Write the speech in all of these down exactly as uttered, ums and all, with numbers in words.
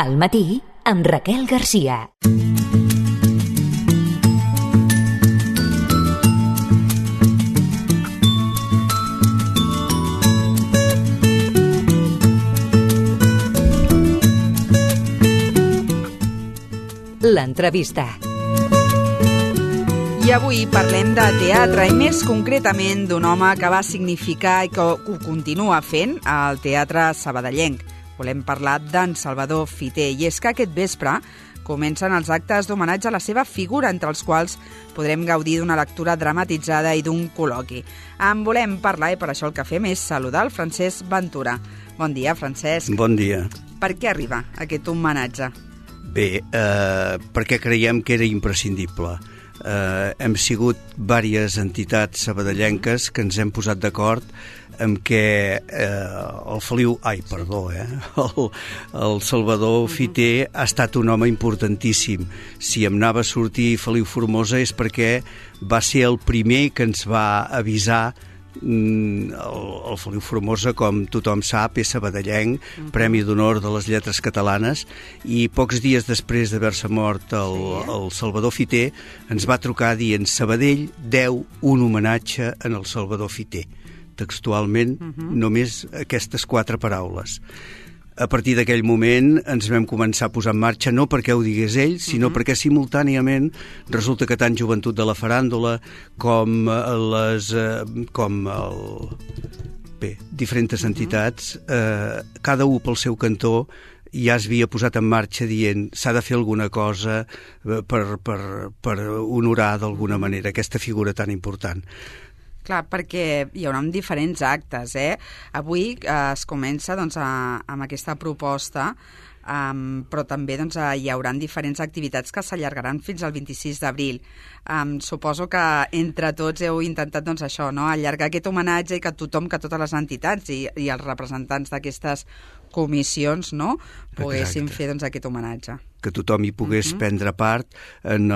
Al matí, amb Raquel Garcia. L'entrevista. I avui parlem de teatre i més concretament d'un home que va significar i que ho continua fent al teatre sabadellenc. Volem parlar d'en Salvador Fiter i és que aquest vespre comencen els actes d'homenatge a la seva figura, entre els quals podrem gaudir d'una lectura dramatitzada i d'un col·loqui. En volem parlar i per això el que fem és saludar el Francesc Ventura. Bon dia, Francesc. Bon dia. Per què arriba aquest homenatge? Bé, eh, perquè creiem que era imprescindible. Eh, hem sigut diverses entitats sabadellenques que ens hem posat d'acord amb què eh, el Feliu, ai, perdó, eh, el, el Salvador Fiter ha estat un home importantíssim. Si em anava a sortir Feliu Formosa és perquè va ser el primer que ens va avisar. El, el Feliu Formosa, com tothom sap, és sabadellenc, uh-huh. Premi d'Honor de les Lletres Catalanes, i pocs dies després d'haver-se mort el, sí. el Salvador Fiter ens va trucar dient: Sabadell deu un homenatge en el Salvador Fiter. Textualment, uh-huh. només aquestes quatre paraules. A partir d'aquell moment ens vam començar a posar en marxa, no perquè ho digués ell, sinó uh-huh. perquè simultàniament resulta que tant Joventut de la Faràndula com les com el bé, diferents entitats, eh, cada un pel seu cantó ja es havia posat en marxa dient s'ha de fer alguna cosa per, per, per honorar d'alguna manera aquesta figura tan important. Clar, perquè hi haurà diferents actes, eh? Avui eh, es comença doncs, a, amb aquesta proposta, um, però també doncs, a, hi haurà diferents activitats que s'allargaran fins al vint-i-sis d'abril. Um, suposo que entre tots heu intentat doncs, això, no? Allargar aquest homenatge i que tothom, que totes les entitats i, i els representants d'aquestes comissions, no?, poguessin Exacte. fer doncs, aquest homenatge. Que tothom hi pogués uh-huh. prendre part en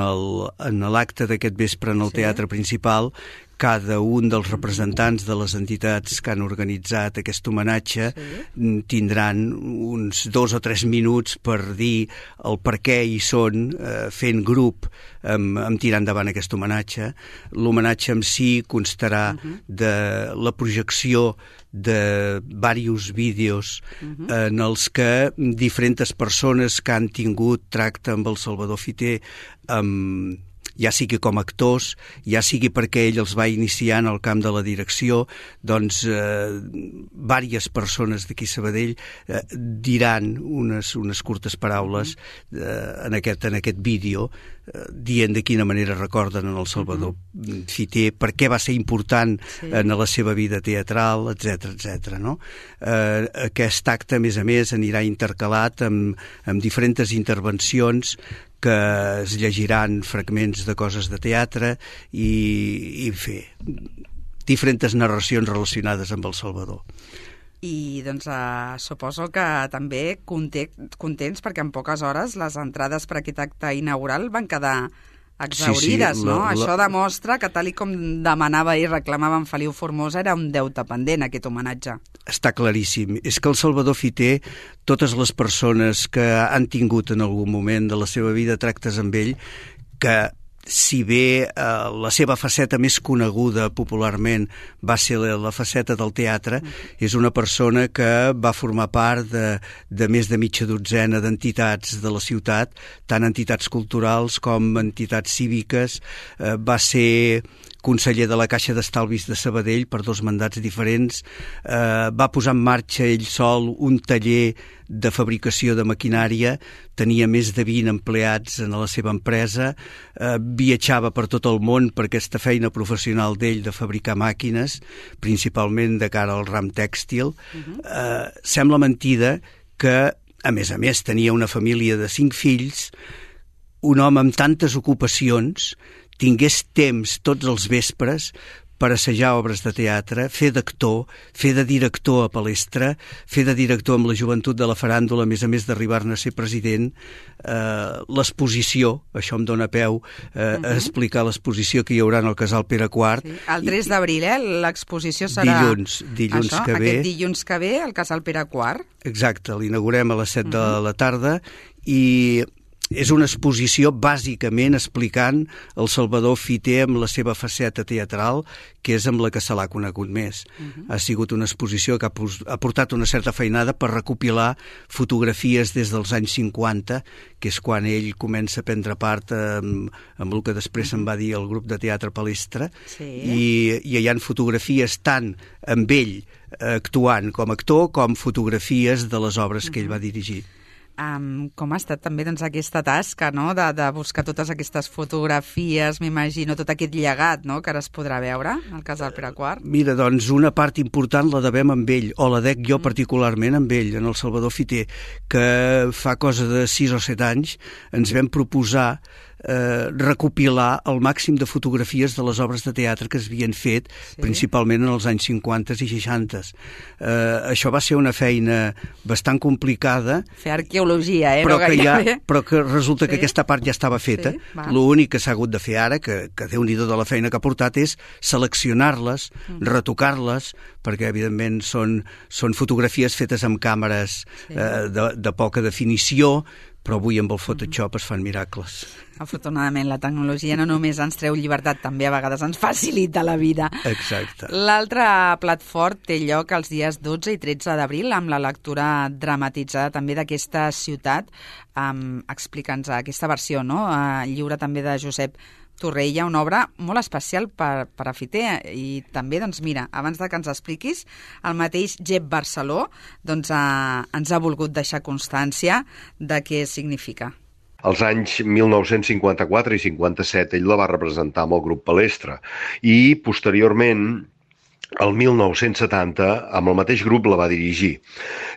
l'acte d'aquest vespre en el sí. teatre principal. Cada un dels representants de les entitats que han organitzat aquest homenatge sí. tindran uns dos o tres minuts per dir el per què hi són, eh, fent grup amb, amb tirar endavant aquest homenatge. L'homenatge en si constarà uh-huh. de la projecció de diversos vídeos uh-huh. en els que diferents persones que han tingut tracte amb el Salvador Fiter, amb ja sigui com a actors, ja sigui perquè ell els va iniciar en el camp de la direcció, doncs eh, diverses persones d'aquí Sabadell eh, diran unes, unes curtes paraules eh, en, aquest, en aquest vídeo, eh, dient de quina manera recorden en el Salvador uh-huh. Fiter, per què va ser important sí. en la seva vida teatral, etcètera, etcètera. No? Eh, aquest acte, a més a més, anirà intercalat amb, amb diferents intervencions que es llegiran fragments de coses de teatre i, i fer diferents narracions relacionades amb el Salvador. I doncs eh, suposo que també contents perquè en poques hores les entrades per aquest acte inaugural van quedar exaurides, sí, sí, la, no? La... Això demostra que tal i com demanava i reclamava en Feliu Formosa era un deute pendent aquest homenatge. Està claríssim. És que el Salvador Fiter, totes les persones que han tingut en algun moment de la seva vida tractes amb ell, que si bé eh, la seva faceta més coneguda popularment va ser la, la faceta del teatre, mm. és una persona que va formar part de, de més de mitja dotzena d'entitats de la ciutat, tant entitats culturals com entitats cíviques, eh, va ser conseller de la Caixa d'Estalvis de Sabadell per dos mandats diferents, eh, va posar en marxa ell sol un taller de fabricació de maquinària, tenia més de vint empleats en la seva empresa, eh, viatjava per tot el món per aquesta feina professional d'ell de fabricar màquines, principalment de cara al ram tèxtil. Uh-huh. Eh, sembla mentida que, a més a més, tenia una família de cinc fills, un home amb tantes ocupacions tingués temps tots els vespres per assajar obres de teatre, fer d'actor, fer de director a Palestra, fer de director amb la joventut de la faràndula, a més a més d'arribar-ne a ser president, eh, l'exposició, això em dóna peu eh, uh-huh. a explicar l'exposició que hi haurà en el Casal Pere quart. Sí. El tres d'abril, eh? L'exposició serà... Dilluns, dilluns això, que ve. Aquest dilluns que ve, al Casal Pere quart. Exacte, l'inaugurem a les set uh-huh. de la tarda i... és una exposició bàsicament explicant el Salvador Fiter amb la seva faceta teatral, que és amb la que se l'ha conegut més. Uh-huh. Ha sigut una exposició que ha, ha portat una certa feinada per recopilar fotografies des dels anys cinquanta, que és quan ell comença a prendre part amb, amb el que després uh-huh. se'n va dir el grup de teatre Palestra, sí. i, i hi ha fotografies tant amb ell actuant com a actor com fotografies de les obres uh-huh. que ell va dirigir. Um, com ha estat també doncs, aquesta tasca, no?, de, de buscar totes aquestes fotografies, m'imagino, tot aquest llegat, no?, que ara es podrà veure al Casal Pere quart? Mira, doncs una part important la devem amb ell, o la dec jo mm. particularment amb ell, en el Salvador Fiter, que fa cosa de sis o set anys ens vam proposar Eh, recopilar el màxim de fotografies de les obres de teatre que es havien fet, sí. principalment en els anys cinquanta i seixanta. Eh, això va ser una feina bastant complicada. Fer arqueologia, eh? Però, no que, ja, però que resulta sí. que aquesta part ja estava feta. Sí, l'únic que s'ha hagut de fer ara, que, que Déu-n'hi-do de la feina que ha portat, és seleccionar-les, mm. retocar-les, perquè evidentment són, són fotografies fetes amb càmeres sí. eh, de, de poca definició, però avui amb el Photoshop mm. es fan miracles. Afortunadament, la tecnologia no només ens treu llibertat, també a vegades ens facilita la vida. Exacte. L'altre plat fort té lloc els dies dotze i tretze d'abril amb la lectura dramatitzada també d'aquesta ciutat. Um, Explica'ns aquesta versió, no?, uh, lliure també de Josep Torrella, una obra molt especial per, per a Fiter. I també, doncs mira, abans de que ens expliquis, el mateix Jep Barceló doncs, uh, ens ha volgut deixar constància de què significa. Als anys mil nou-cents cinquanta-quatre i cinquanta-set ell la va representar amb el grup Palestra i posteriorment el mil nou-cents setanta amb el mateix grup la va dirigir.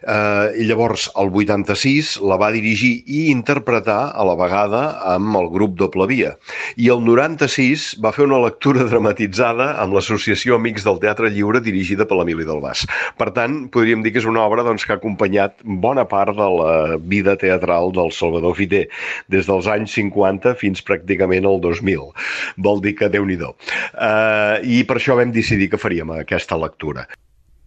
Eh, llavors, el vuitanta-sis la va dirigir i interpretar a la vegada amb el grup Doble Via. I el noranta-sis va fer una lectura dramatitzada amb l'Associació Amics del Teatre Lliure dirigida per l'Emili Delbàs. Per tant, podríem dir que és una obra doncs, que ha acompanyat bona part de la vida teatral del Salvador Fiter, des dels anys cinquanta fins pràcticament al dos mil. Vol dir que Déu-n'hi-do. Eh, I per això vam decidir que faríem aquesta lectura.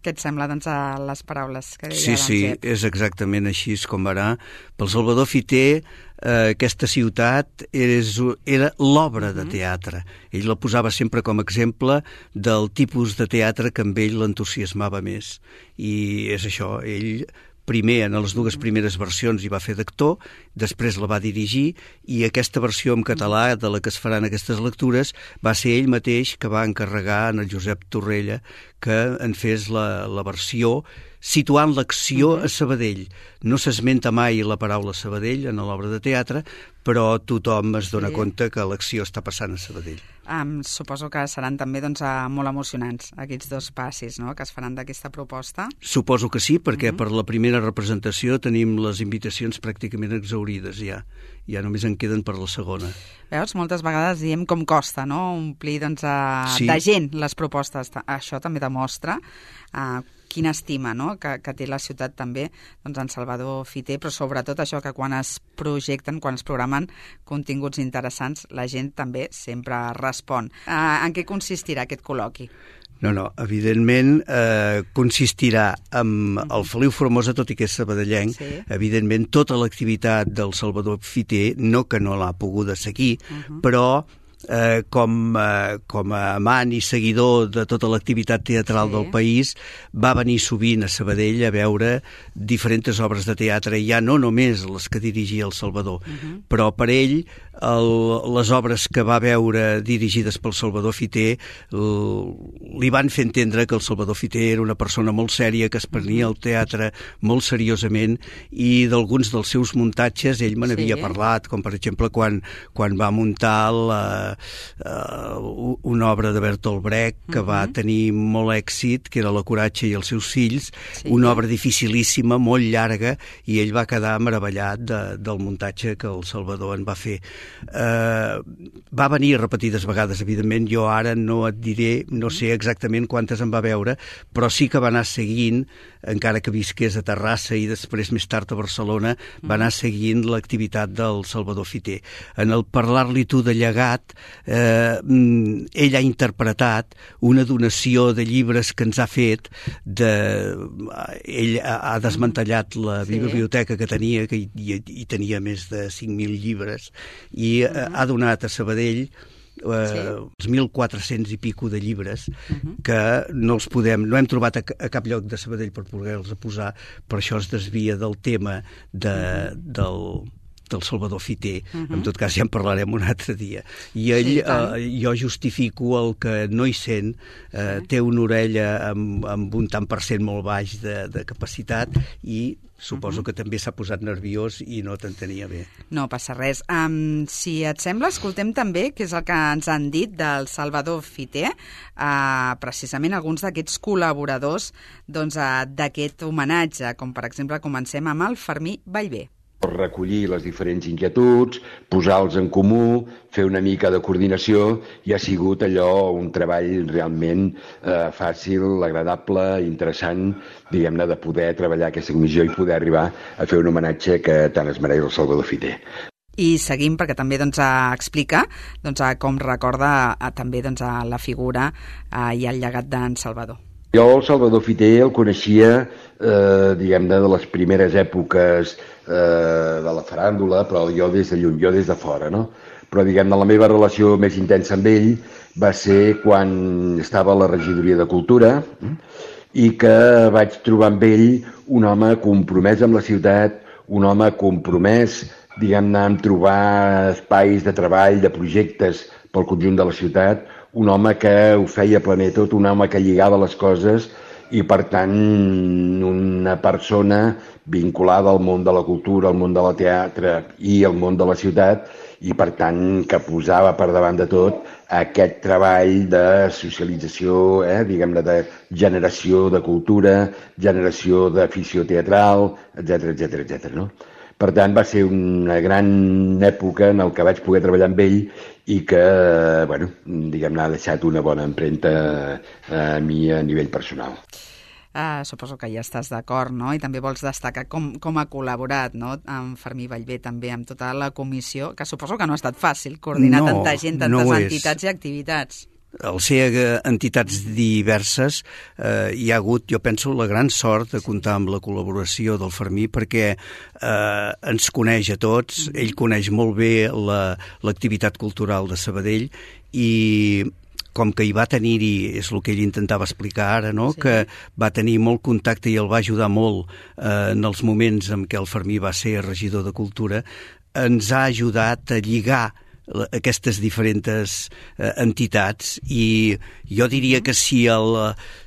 Què et sembla, doncs, a les paraules que deia Sí, sí, Jep? és exactament així com ara. Pel Salvador Fiter, eh, aquesta ciutat és, era l'obra de teatre. Ell la posava sempre com a exemple del tipus de teatre que amb ell l'entusiasmava més. I és això, ell... Primer, en les dues primeres versions hi va fer d'actor, després la va dirigir i aquesta versió en català de la que es faran aquestes lectures va ser ell mateix que va encarregar en el Josep Torrella que en fes la, la versió situant l'acció a Sabadell. No s'esmenta mai la paraula Sabadell en l'obra de teatre, però tothom es dona sí. compte que l'acció està passant a Sabadell. Um, suposo que seran també doncs, uh, molt emocionants aquests dos passis, no?, que es faran d'aquesta proposta. Suposo que sí, perquè uh-huh. per la primera representació tenim les invitacions pràcticament exhaurides ja. Ja només en queden per la segona. Veus, moltes vegades diem com costa, no?, omplir doncs, uh, sí. de gent les propostes. Això també demostra uh, quina estima, no?, que, que té la ciutat també doncs, en Salvador Fiter, però sobretot això que quan es projecten, quan es programen continguts interessants, la gent també sempre respon. Uh, en què consistirà aquest col·loqui? No, no, evidentment eh, consistirà en el Feliu Formosa, tot i que és sabadellenc, sí. evidentment tota l'activitat del Salvador Fiter, no que no l'ha poguda seguir, uh-huh. però eh, com, eh, com a amant i seguidor de tota l'activitat teatral sí. del país, va venir sovint a Sabadell a veure diferents obres de teatre, ja no només les que dirigia el Salvador, uh-huh. però per ell el, les obres que va veure dirigides pel Salvador Fiter el, li van fer entendre que el Salvador Fiter era una persona molt sèria, que es prenia el teatre molt seriosament, i d'alguns dels seus muntatges ell me n'havia sí. parlat, com per exemple quan, quan va muntar la, uh, una obra de Bertolt Brecht que uh-huh. va tenir molt èxit, que era La Coratge i els seus fills, sí. una obra dificilíssima, molt llarga, i ell va quedar meravellat de, del muntatge que el Salvador en va fer. eh, va venir repetides vegades, evidentment. Jo ara no et diré, no sé exactament quantes en va veure, però sí que va anar seguint, encara que visqués a Terrassa i després més tard a Barcelona, va anar seguint l'activitat del Salvador Fiter. En el parlar-li tu de llegat, eh, ell ha interpretat una donació de llibres que ens ha fet. De, ell ha desmantellat la sí. biblioteca que tenia, que hi, hi tenia més de cinc mil llibres, i uh -huh. ha donat a Sabadell Uh, sí. els mil quatre-cents i pico de llibres uh-huh. que no els podem, no hem trobat a, a cap lloc de Sabadell per poder-los posar, per això es desvia del tema de, uh-huh. del, del Salvador Fiter. Uh-huh. En tot cas ja en parlarem un altre dia. I ell, sí, uh, jo justifico el que no hi sent, uh, sí. té una orella amb, amb un tant per cent molt baix de, de capacitat, i suposo uh-huh. que també s'ha posat nerviós i no t'entenia bé. No passa res. Um, si et sembla, escoltem també què és el que ens han dit del Salvador Fiter, uh, precisament alguns d'aquests col·laboradors doncs, uh, d'aquest homenatge, com per exemple comencem amb el Fermí Ballbé. Recollir les diferents inquietuds, posar-los en comú, fer una mica de coordinació, i ha sigut allò un treball realment eh, fàcil, agradable, interessant, diguem-ne, de poder treballar aquesta comissió i poder arribar a fer un homenatge que tant es mereix el Salvador Fiter. I seguim perquè també doncs, explica doncs, com recorda a, també doncs, a la figura a, i el llegat d'en Salvador. Jo el Salvador Fiter el coneixia, eh, diguem-ne, de les primeres èpoques eh, de la faràndula, però jo des de lluny, jo des de fora, no? Però, diguem-ne, la meva relació més intensa amb ell va ser quan estava a la regidoria de Cultura i que vaig trobar amb ell un home compromès amb la ciutat, un home compromès, diguem-ne, en trobar espais de treball, de projectes pel conjunt de la ciutat, un home que ho feia planer tot, un home que lligava les coses i, per tant, una persona vinculada al món de la cultura, al món de la teatre i al món de la ciutat, i, per tant, que posava per davant de tot aquest treball de socialització, eh, diguem-ne, de generació de cultura, generació d'afició teatral, etcètera, etcètera, etcètera, no? Per tant, va ser una gran època en el que vaig poder treballar amb ell i que, bueno, diguem-ne, ha deixat una bona empremta a mi a nivell personal. Uh, suposo que ja estàs d'acord, no? I també vols destacar com, com ha col·laborat, no?, amb Fermí Ballbé, també amb tota la comissió, que suposo que no ha estat fàcil coordinar no, tanta gent, tantes no entitats i activitats. Al ser entitats diverses, eh, hi ha hagut, jo penso, la gran sort de comptar amb la col·laboració del Fermí, perquè eh, ens coneix a tots, mm-hmm. ell coneix molt bé la, l'activitat cultural de Sabadell, i com que hi va tenir-hi, és el que ell intentava explicar ara, no? Sí. Que va tenir molt contacte i el va ajudar molt eh, en els moments en què el Fermí va ser regidor de Cultura, ens ha ajudat a lligar aquestes diferents eh, entitats, i jo diria que si el,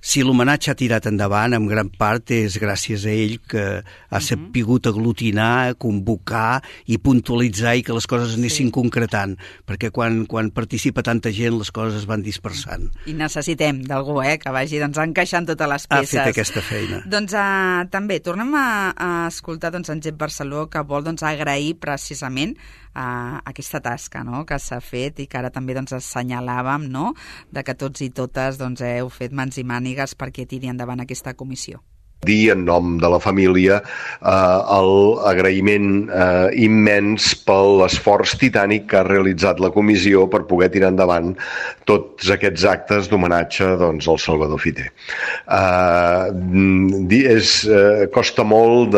si l'homenatge ha tirat endavant, en gran part és gràcies a ell, que ha sapigut aglutinar, convocar i puntualitzar, i que les coses anessin sí. concretant, perquè quan, quan participa tanta gent les coses es van dispersant. I necessitem d'algú eh, que vagi doncs, encaixant totes les peces. Ha fet aquesta feina. Doncs uh, també tornem a, a escoltar doncs, en Jep Barceló, que vol doncs, agrair precisament uh, aquesta tasca, no?, que s'ha fet i que ara també doncs, assenyalàvem, no?, de que tots i totes doncs, heu fet mans i mànigues perquè tiri endavant aquesta comissió. Dir en nom de la família eh, l'agraïment eh, immens per l'esforç titànic que ha realitzat la comissió per poder tirar endavant tots aquests actes d'homenatge doncs, al Salvador Fiter. Eh, és, eh, costa molt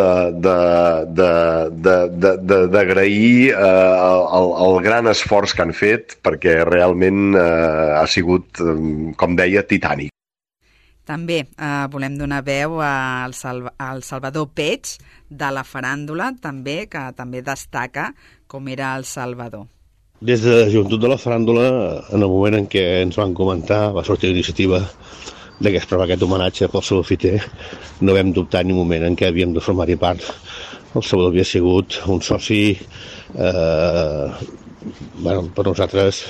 d'agrair eh, el, el gran esforç que han fet, perquè realment eh, ha sigut, com deia, titànic. També eh, volem donar veu al, Salva, al Salvador Peig, de la faràndula, també, que també destaca com era el Salvador. Des de la joventut de la faràndula, en el moment en què ens van comentar, va sortir l'iniciativa de que es prova aquest homenatge pel Salvador Fiter, no vam dubtar ni un moment en què havíem de formar-hi part. El Salvador havia sigut un soci eh, bueno, per nosaltres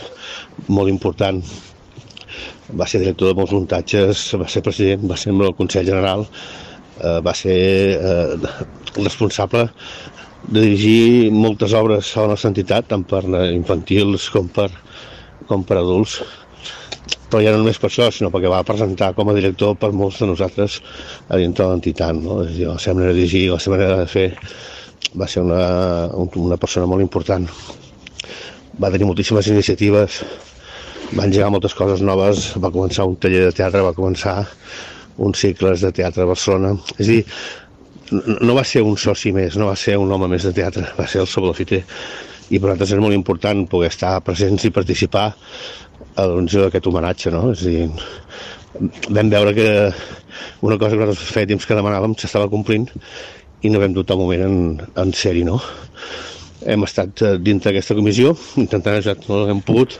molt important. Va ser director de molts muntatges, va ser president, va ser membre del Consell General, eh, va ser eh, responsable de dirigir moltes obres a la nostra entitat, tant per infantils com per, com per adults, però ja no només per això, sinó perquè va presentar com a director per molts de nosaltres a dintre de l'entitat, no? És a dir, la seva manera de dirigir, la seva manera de fer, va ser una, una persona molt important. Va tenir moltíssimes iniciatives, va engegar moltes coses noves, va començar un taller de teatre, va començar uns cicles de teatre a Barcelona. És a dir, no va ser un soci més, no va ser un home més de teatre, va ser el Salvador Fiter. I per nosaltres és molt important poder estar presents i participar a l'organització d'aquest homenatge, no? És a dir, vam veure que una cosa que nosaltres feia temps que demanàvem s'estava complint i no vam dubtar un moment en, en ser-hi, no? Hem estat dintre d'aquesta comissió, intentant ajudar tot el que hem pogut.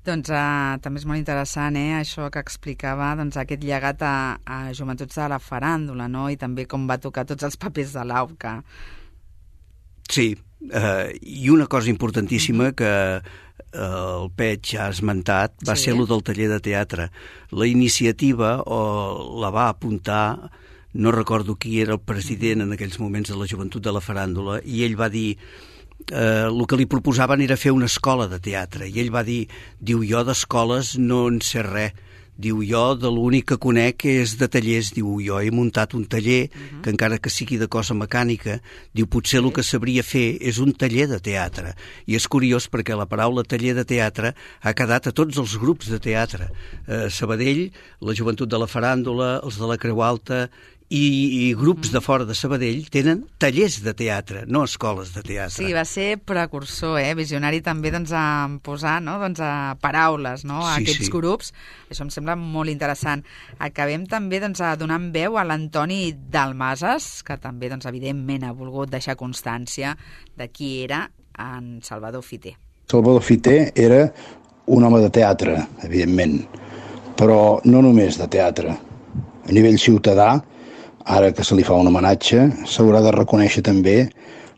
Doncs uh, també és molt interessant, eh, això que explicava, doncs, aquest llegat a, a Joventuts de la Faràndula, no? I també com va tocar tots els papers de l'Auca. Sí, uh, i una cosa importantíssima que el Pech ha esmentat va sí. ser el del taller de teatre. La iniciativa o la va apuntar, no recordo qui era el president en aquells moments de la Joventut de la Faràndula, i ell va dir... Eh, el que li proposaven era fer una escola de teatre, i ell va dir, diu, jo d'escoles no en sé res, diu, jo de l'únic que conec és de tallers, diu, jo he muntat un taller uh-huh. que encara que sigui de cosa mecànica, diu, potser el que sabria fer és un taller de teatre. I és curiós perquè la paraula taller de teatre ha quedat a tots els grups de teatre. Eh, Sabadell, la Joventut de la Faràndula, els de la Creu Alta, I, i grups de fora de Sabadell tenen tallers de teatre, no escoles de teatre. Sí, va ser precursor, eh? Visionari també doncs, a posar no? doncs, a paraules no? a sí, aquests sí. grups. Això em sembla molt interessant. Acabem també doncs, a donar veu a l'Antoni Dalmases, que també doncs, evidentment ha volgut deixar constància de qui era en Salvador Fiter. Salvador Fiter era un home de teatre, evidentment, però no només de teatre. A nivell ciutadà, ara que se li fa un homenatge, s'haurà de reconèixer també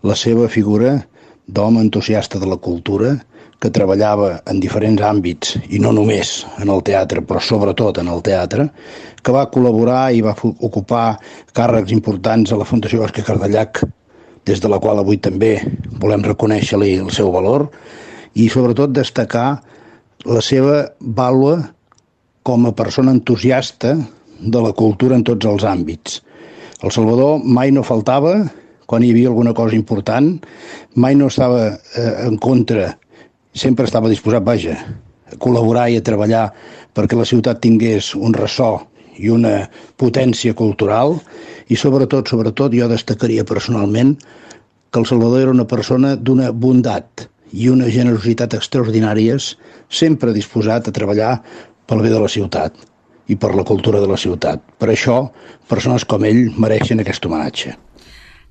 la seva figura d'home entusiasta de la cultura que treballava en diferents àmbits, i no només en el teatre, però sobretot en el teatre, que va col·laborar i va ocupar càrrecs importants a la Fundació Òscar Cardellac, des de la qual avui també volem reconèixer-li el seu valor, i sobretot destacar la seva vàlua com a persona entusiasta de la cultura en tots els àmbits. El Salvador mai no faltava quan hi havia alguna cosa important, mai no estava eh, en contra, sempre estava disposat, vaja, a col·laborar i a treballar perquè la ciutat tingués un ressò i una potència cultural, i sobretot, sobretot, jo destacaria personalment que el Salvador era una persona d'una bondat i una generositat extraordinàries, sempre disposat a treballar pel bé de la ciutat i per la cultura de la ciutat. Per això, persones com ell mereixen aquest homenatge.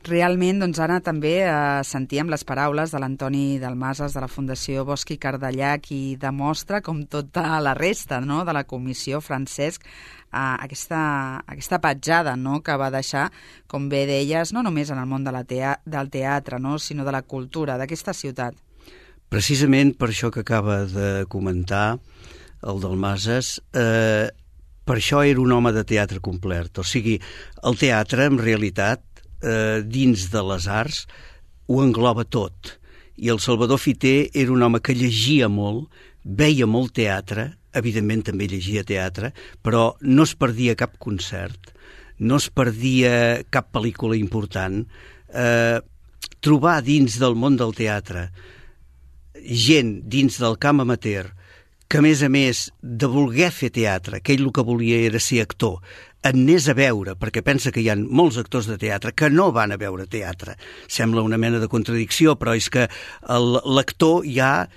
Realment, doncs ara també eh, sentíem les paraules de l'Antoni Dalmases de la Fundació Bosch i Cardellac, i demostra, com tota la resta no, de la comissió, Francesc, eh, aquesta, aquesta petjada no, que va deixar, com bé deies, no només en el món de la tea del teatre, no, sinó de la cultura d'aquesta ciutat. Precisament per això que acaba de comentar el Dalmases, eh, per això era un home de teatre complet. O sigui, el teatre, en realitat, eh, dins de les arts, ho engloba tot. I el Salvador Fiter era un home que llegia molt, veia molt teatre, evidentment també llegia teatre, però no es perdia cap concert, no es perdia cap pel·lícula important. Eh, trobar dins del món del teatre gent dins del camp amateur que, a més a més, de voler fer teatre, que ell el que volia era ser actor, en anés a veure, perquè pensa que hi ha molts actors de teatre que no van a veure teatre. Sembla una mena de contradicció, però és que l'actor ja,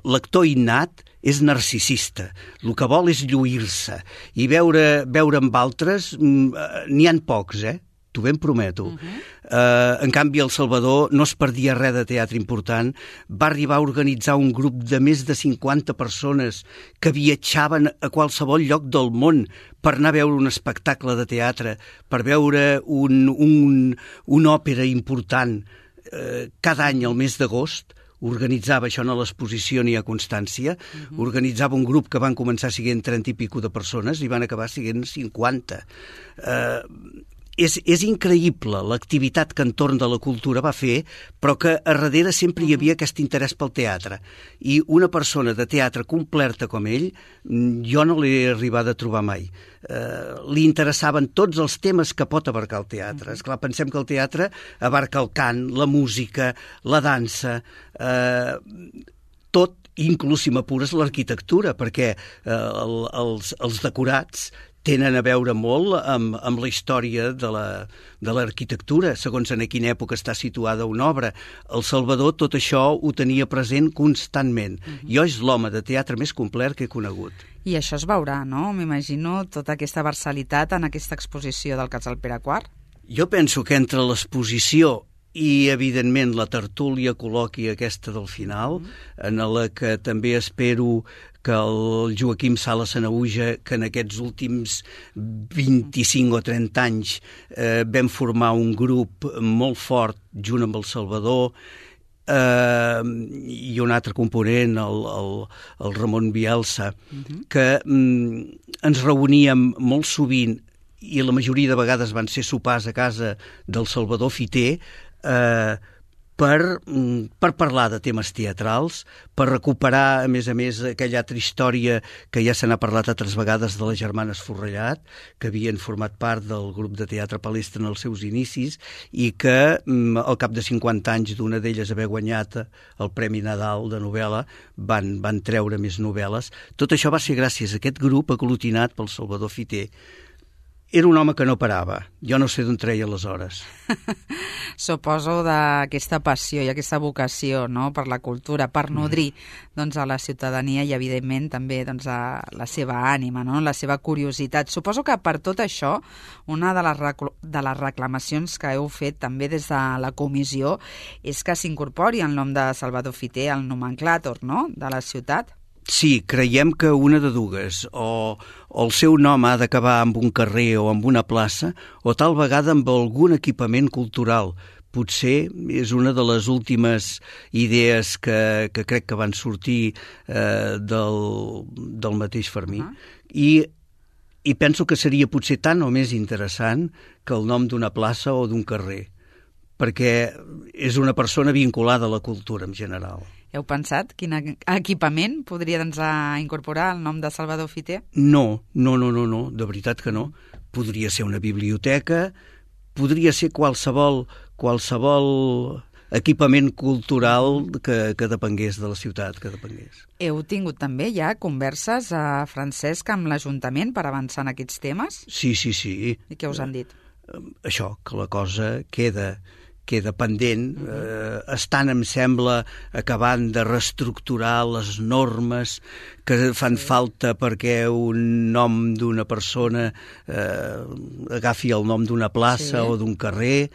l'actor innat és narcisista. El que vol és lluir-se. I veure, veure amb altres, n'hi ha pocs, eh? T'ho ben prometo. Uh-huh. Uh, en canvi, el Salvador no es perdia res de teatre important. Va arribar a organitzar un grup de més de cinquanta persones que viatjaven a qualsevol lloc del món per anar a veure un espectacle de teatre, per veure un, un, una òpera important. Uh, cada any, al mes d'agost, organitzava, això no a l'exposició ni a constància, uh-huh. organitzava un grup que van començar siguent trenta i pico de persones i van acabar siguent cinquanta. Uh, és, és increïble l'activitat que entorn de la cultura va fer, però que a darrere sempre hi havia aquest interès pel teatre. I una persona de teatre completa com ell, jo no l'he arribat a trobar mai. Eh, li interessaven tots els temes que pot abarcar el teatre. Esclar, pensem que el teatre abarca el cant, la música, la dansa, eh, tot, inclús si m'apures l'arquitectura, perquè eh, el, els, els decorats tenen a veure molt amb, amb la història de la, de l'arquitectura, segons en quina època està situada una obra. El Salvador tot això ho tenia present constantment. Uh-huh. Jo és l'home de teatre més complet que he conegut. I això es veurà, no? M'imagino tota aquesta versalitat en aquesta exposició del Casal Pere quart. Jo penso que entre l'exposició i, evidentment, la tertúlia col·loqui aquesta del final, mm. en la que també espero que el Joaquim Sala Sanaüja, que en aquests últims vint-i-cinc o trenta anys eh, vam formar un grup molt fort junt amb el Salvador, eh, i un altre component, el, el, el Ramon Bielsa, mm-hmm. que mm, ens reuníem molt sovint i la majoria de vegades van ser sopars a casa del Salvador Fiter, eh, per, per parlar de temes teatrals, per recuperar, a més a més, aquella altra història que ja se n'ha parlat altres vegades de les germanes Forrellat, que havien format part del grup de teatre Palestra en els seus inicis i que al cap de cinquanta anys d'una d'elles haver guanyat el Premi Nadal de novel·la van, van treure més novel·les. Tot això va ser gràcies a aquest grup aglutinat pel Salvador Fiter. Era un home que no parava. Jo no sé d'on treia les hores. Suposo d'aquesta passió i aquesta vocació, no?, per la cultura, per nodrir doncs, a la ciutadania i, evidentment, també doncs, a la seva ànima, no?, la seva curiositat. Suposo que per tot això, una de les, recl- de les reclamacions que heu fet també des de la comissió és que s'incorpori el nom de Salvador Fiter al nomenclàtor, no?, de la ciutat. Sí, creiem que una de dues, o, o el seu nom ha d'acabar amb un carrer o amb una plaça, o tal vegada amb algun equipament cultural. Potser és una de les últimes idees que, que crec que van sortir eh, del, del mateix Fermí. Uh-huh. I, I penso que seria potser tant o més interessant que el nom d'una plaça o d'un carrer, perquè és una persona vinculada a la cultura en general. Heu pensat quin equipament podria doncs, incorporar el nom de Salvador Fiter? No, no, no, no, no, de veritat que no. Podria ser una biblioteca, podria ser qualsevol, qualsevol equipament cultural que, que depengués de la ciutat, que depengués. Heu tingut també ja converses, a Francesc, amb l'Ajuntament per avançar en aquests temes? Sí, sí, sí. I què us han dit? Això, que la cosa queda... queda pendent, eh, estan, em sembla, acabant de reestructurar les normes que fan falta perquè un nom d'una persona eh, agafi el nom d'una plaça sí. o d'un carrer.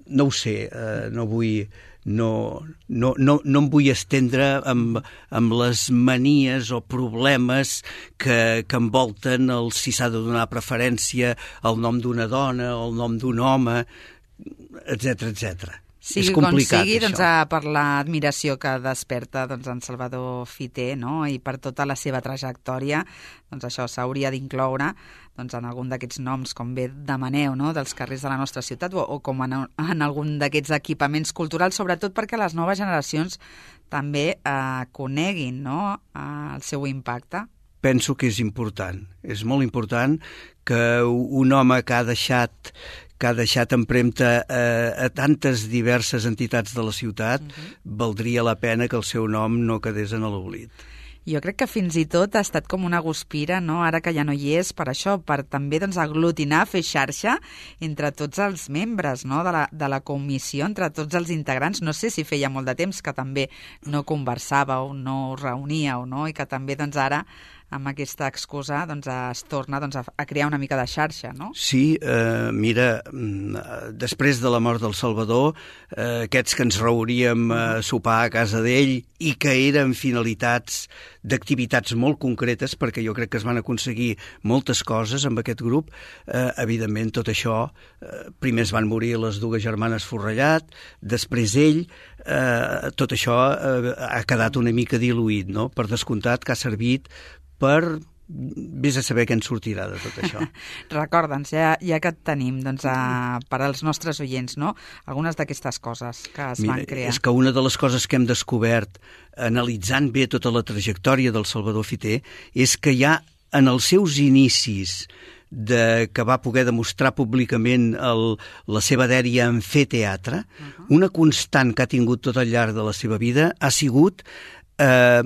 No ho sé, eh, no vull... No, no, no, no em vull estendre amb, amb les manies o problemes que, que envolten el si s'ha de donar preferència al nom d'una dona o al nom d'un home, etcètera, etcètera. Sigui és complicat, com sigui, això. doncs, per l'admiració que desperta doncs, en Salvador Fiter, no?, i per tota la seva trajectòria, doncs això s'hauria d'incloure doncs, en algun d'aquests noms, com bé demaneu, no?, dels carrers de la nostra ciutat, o, o com en, en algun d'aquests equipaments culturals, sobretot perquè les noves generacions també eh, coneguin, no?, eh, el seu impacte. Penso que és important. És molt important que un home que ha deixat que ha deixat empremta a, a tantes diverses entitats de la ciutat, uh-huh. valdria la pena que el seu nom no quedés en l'oblit. Jo crec que fins i tot ha estat com una guspira, no?, ara que ja no hi és, per això, per també doncs, aglutinar, fer xarxa entre tots els membres, no?, de la, de la comissió, entre tots els integrants. No sé si feia molt de temps que també no conversàveu, no us reuníeu, no?, i que també doncs, ara amb aquesta excusa doncs, es torna doncs, a crear una mica de xarxa, no? Sí, eh, mira, després de la mort del Salvador, eh, aquests que ens reuníem a sopar a casa d'ell i que eren finalitats d'activitats molt concretes, perquè jo crec que es van aconseguir moltes coses amb aquest grup, eh, evidentment tot això, eh, primer es van morir les dues germanes Forrellat, després ell, eh, tot això eh, ha quedat una mica diluït, no? Per descomptat que ha servit per vés a saber què en sortirà de tot això. Recorda'ns, ja, ja que et tenim, doncs, a, per als nostres oients, no? Algunes d'aquestes coses que es Mira, van crear. És que una de les coses que hem descobert, analitzant bé tota la trajectòria del Salvador Fiter, és que ja en els seus inicis de, que va poder demostrar públicament el, la seva dèria en fer teatre, uh-huh. una constant que ha tingut tot al llarg de la seva vida ha sigut, eh,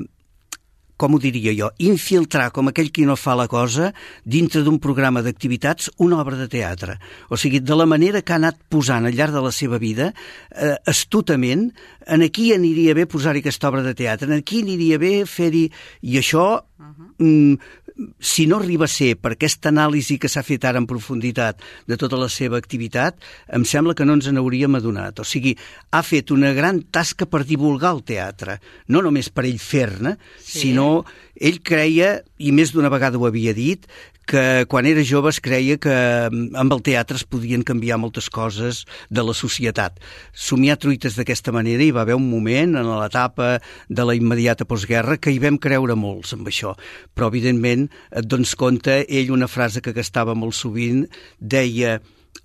com ho diria jo, infiltrar com aquell qui no fa la cosa dintre d'un programa d'activitats una obra de teatre. O sigui, de la manera que ha anat posant al llarg de la seva vida, eh, astutament, en aquí aniria bé posar-hi aquesta obra de teatre, en aquí aniria bé fer-hi... I això... Uh-huh. Mm, si no arriba a ser per aquesta anàlisi que s'ha fet ara en profunditat de tota la seva activitat, em sembla que no ens n'hauríem adonat. O sigui, ha fet una gran tasca per divulgar el teatre, no només per ell fer-ne, sí. sinó ell creia, i més d'una vegada ho havia dit, que quan era jove es creia que amb el teatre es podien canviar moltes coses de la societat. Somiar truites d'aquesta manera hi va haver un moment en l'etapa de la immediata postguerra que hi vam creure molts amb això, però evidentment et dones compte, ell una frase que gastava molt sovint deia: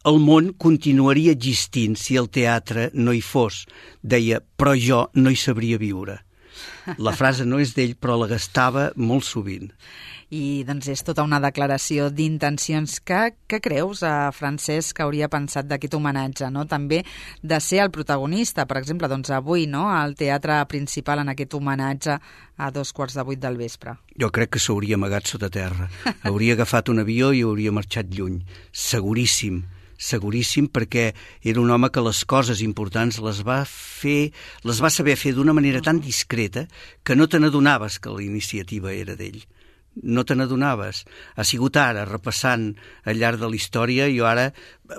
el món continuaria existint si el teatre no hi fos. Deia, però jo no hi sabria viure. La frase no és d'ell, però la gastava molt sovint. I doncs és tota una declaració d'intencions. Que, què creus, eh, Francesc, que hauria pensat d'aquest homenatge, no? També de ser el protagonista, per exemple, doncs avui, no?, al teatre principal en aquest homenatge a dos quarts de vuit del vespre. Jo crec que s'hauria amagat sota terra. Hauria agafat un avió i hauria marxat lluny. Seguríssim. Seguríssim, perquè era un home que les coses importants les va fer, les va saber fer d'una manera tan discreta que no te n'adonaves que la iniciativa era d'ell. No te n'adonaves. Ha sigut ara, repassant al llarg de la història, jo ara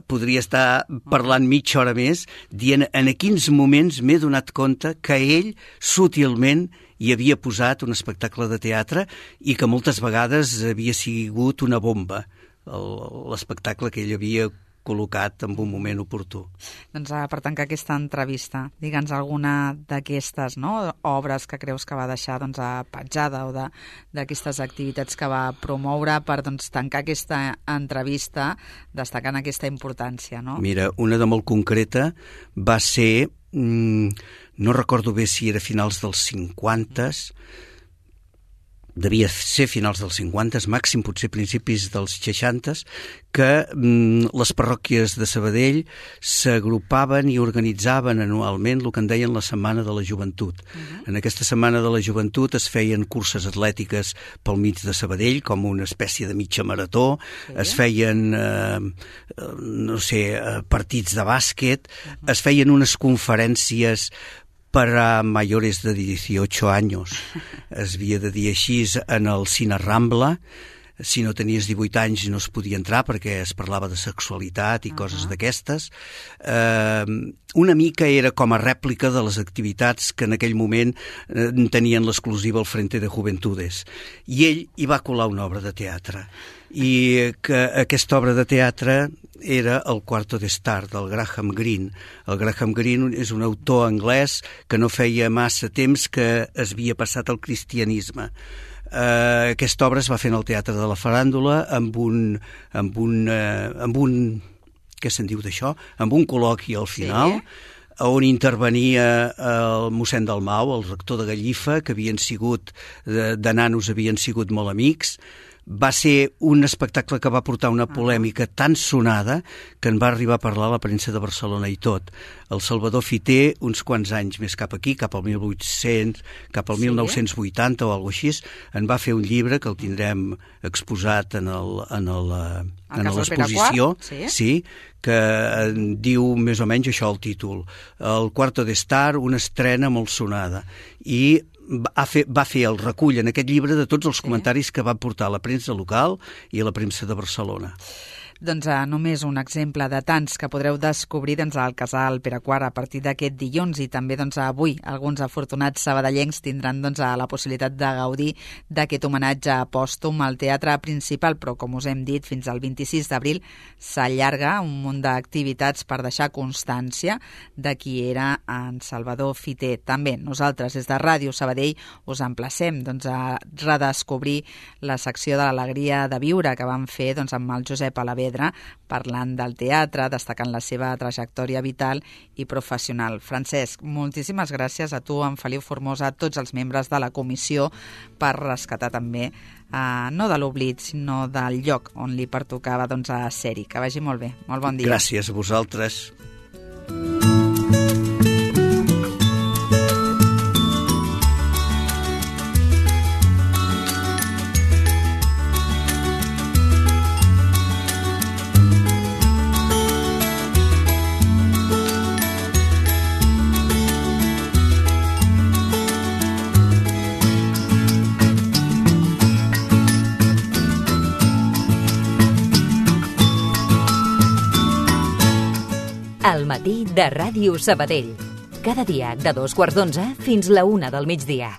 podria estar parlant mitja hora més, dient en a quins moments m'he donat compte que ell sutilment hi havia posat un espectacle de teatre i que moltes vegades havia sigut una bomba, l'espectacle que ell havia col·locat en un moment oportú. Doncs per tancar aquesta entrevista, digue'ns alguna d'aquestes, no?, obres que creus que va deixar doncs, petjada o d'aquestes activitats que va promoure per doncs, tancar aquesta entrevista destacant aquesta importància, no? Mira, una de molt concreta va ser, mmm, no recordo bé si era finals dels cinquantes, devia ser finals dels cinquantes, màxim potser principis dels seixantes, que mm, les parròquies de Sabadell s'agrupaven i organitzaven anualment el que en deien la Setmana de la Joventut. Uh-huh. En aquesta Setmana de la Joventut es feien curses atlètiques pel mig de Sabadell, com una espècie de mitja marató, sí. es feien, eh, no sé, partits de bàsquet, uh-huh. es feien unes conferències para mayores de dieciocho años. Es havia de dir així en el Cine Rambla. Si no tenies divuit anys no es podia entrar perquè es parlava de sexualitat i uh-huh. coses d'aquestes. Eh, una mica era com a rèplica de les activitats que en aquell moment eh, tenien l'exclusiva al Frente de Juventudes. I ell hi va colar una obra de teatre. I que aquesta obra de teatre era El Quarto d'Estar, del Graham Greene. El Graham Greene és un autor anglès que no feia massa temps que es havia passat al cristianisme. Uh, aquesta obra es va fer en el Teatre de la Faràndula amb un, amb un, uh, amb un què se'n diu d'això? Amb un col·loqui al final, sí. on intervenia el mossèn Dalmau, el rector de Gallifa, que havien sigut, de, de nanos havien sigut molt amics. Va ser un espectacle que va portar una polèmica tan sonada que en va arribar a parlar a la premsa de Barcelona i tot. El Salvador Fiter, uns quants anys més cap aquí, cap al mil vuit-cents, cap al sí. mil nou-cents vuitanta o alguna cosa així, en va fer un llibre que el tindrem exposat en el, en el, en l'exposició, sí. sí, que diu més o menys això el títol. El Quarto d'Estar, una estrena molt sonada. I va fer, va fer el recull en aquest llibre de tots els comentaris que va portar a la premsa local i a la premsa de Barcelona. doncs, eh, només un exemple de tants que podreu descobrir doncs, al Casal Pere quart a partir d'aquest dilluns, i també doncs, avui alguns afortunats sabadellencs tindran doncs, la possibilitat de gaudir d'aquest homenatge pòstum al Teatre Principal, però com us hem dit, fins al vint-i-sis d'abril s'allarga un munt d'activitats per deixar constància de qui era en Salvador Fiter. També nosaltres des de Ràdio Sabadell us emplacem doncs, a redescobrir la secció de l'alegria de viure que vam fer doncs, amb el Josep Alavedra, parlant del teatre, destacant la seva trajectòria vital i professional. Francesc, moltíssimes gràcies a tu, en Feliu Formosa, a tots els membres de la comissió per rescatar també, eh, no de l'oblit, sinó del lloc on li pertocava doncs, a ser-hi. Que vagi molt bé. Molt bon dia. Gràcies a vosaltres. Al matí de Ràdio Sabadell. Cada dia de dos quarts d'onze fins la una del migdia.